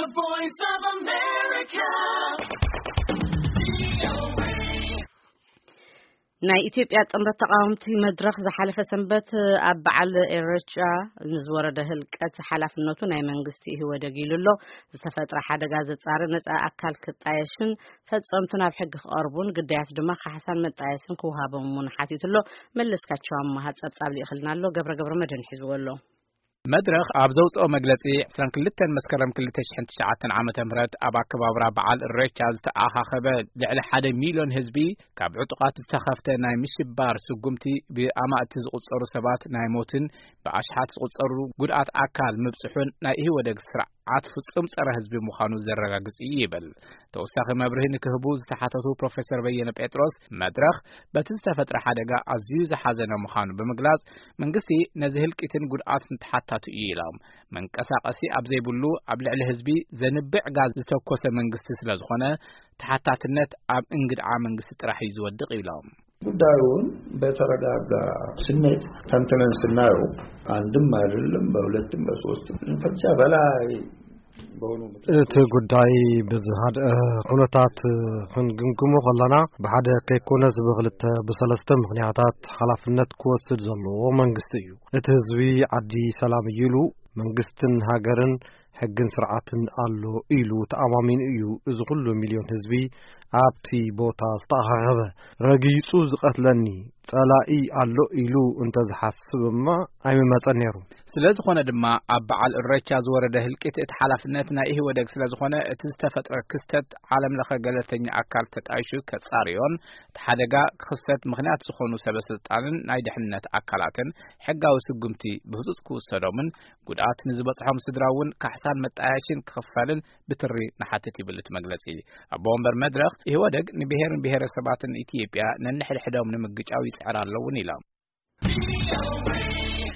The Voice of America. ናይ ኢትዮጵያ ጥምረት ተቃወምቲ መድረኽ ዝሓለፈ ሰንበት ኣብ በዓል ኢሬቻ ንዝወረደ ህልቀት ሓላፍነቱ ናይ መንግስቲ ኢህወደግ ኢሉ ኣሎ። ዝተፈጥረ ሓደጋ ዘጻሪ ነጻ ኣካል ክጣየሽን ፈጸምቱ ናብ ሕጊ ክቐርቡን ግዳያት ድማ ካሕሳን መጣየስን ክወሃቦም እውን ሓቲቱ ኣሎ። መለስካቸው ኣማሃ ጸብጻብ ልኢኽልና ኣሎ። ገብረ ገብረ መድህን ሒዝዎ ኣሎ። መድረኽ ኣብ ዘውፅኦ መግለፂ ዕስራን ክልተን መስከረም ክልተ ሽሕን ትሽዓተን ዓመተ ምህረት ኣብ ኣከባብራ በዓል እሬቻ ዝተኣኻኸበ ልዕሊ ሓደ ሚልዮን ህዝቢ ካብ ዕጡቓት ዝተኸፍተ ናይ ምሽባር ስጉምቲ ብኣማእቲ ዝቑፀሩ ሰባት ናይ ሞትን ብኣሽሓት ዝቑፀሩ ጉድኣት ኣካል ምብፅሑን ናይ ኢህወደግ ስርዓት ፍፁም ፀረ ህዝቢ ምዃኑ ዘረጋግፅ እዩ ይብል። ተወሳኺ መብርሂ ንክህቡ ዝተሓተቱ ፕሮፌሰር በየነ ጴጥሮስ መድረኽ በቲ ዝተፈጥረ ሓደጋ ኣዝዩ ዝሓዘነ ምዃኑ ብምግላጽ መንግስቲ ነዚ ህልቂትን ጉድኣትን ተሓታቱ እዩ ኢሎም። መንቀሳቐሲ ኣብ ዘይብሉ ኣብ ልዕሊ ህዝቢ ዘንብዕ ጋዝ ዝተኮሰ መንግስቲ ስለ ዝኾነ ተሓታትነት ኣብ እንግድዓ መንግስቲ ጥራሕ እዩ ዝወድቕ ኢሎም። ጉዳዩን በተረጋጋ ስሜት ተንትነን ስናየው አንድም አይደለም በሁለትም በሶስትም ከዚያ በላይ በሆኑ ምክንያቶች እቲ ጉዳይ ብዝሃድአ ኩነታት ክንግምግሞ ከለና ብሓደ ከይኮነስ ብክልተ ብሰለስተ ምክንያታት ሓላፍነት ክወስድ ዘለዎ መንግስቲ እዩ። እቲ ህዝቢ ዓዲ ሰላም እዩ ኢሉ መንግስትን ሃገርን ሕግን ስርዓትን ኣሎ ኢሉ ተኣማሚኑ እዩ እዚ ኩሉ ሚልዮን ህዝቢ ኣብቲ ቦታ ዝተኣኻኸበ። ረጊጹ ዝቐትለኒ ጸላኢ ኣሎ ኢሉ እንተዝሓስብማ ኣይምመጸን ነይሩ። ስለ ዝኾነ ድማ ኣብ በዓል እሬቻ ዝወረደ ህልቂት እቲ ሓላፍነት ናይ ኢህወደግ ስለ ዝኾነ እቲ ዝተፈጥረ ክስተት ዓለም ለኸ ገለልተኛ ኣካል ተጣይሹ ከጻርዮን እቲ ሓደጋ ክኽሰት ምኽንያት ዝኾኑ ሰበ ስልጣንን ናይ ድሕነት ኣካላትን ሕጋዊ ስጉምቲ ብህጹጽ ክውሰዶምን ጉድኣት ንዝበጽሖም ስድራ እውን ካሕሳን መጣያሽን ክኽፈልን ብትሪ ንሓትት ይብል እቲ መግለጺ። ኣቦ ወንበር መድረኽ ኢህወደግ ንብሔርን ብሔረሰባትን ኢትዮጵያ ነንሕድሕዶም ንምግጫው ይጽዕር ኣለውን ኢሎም።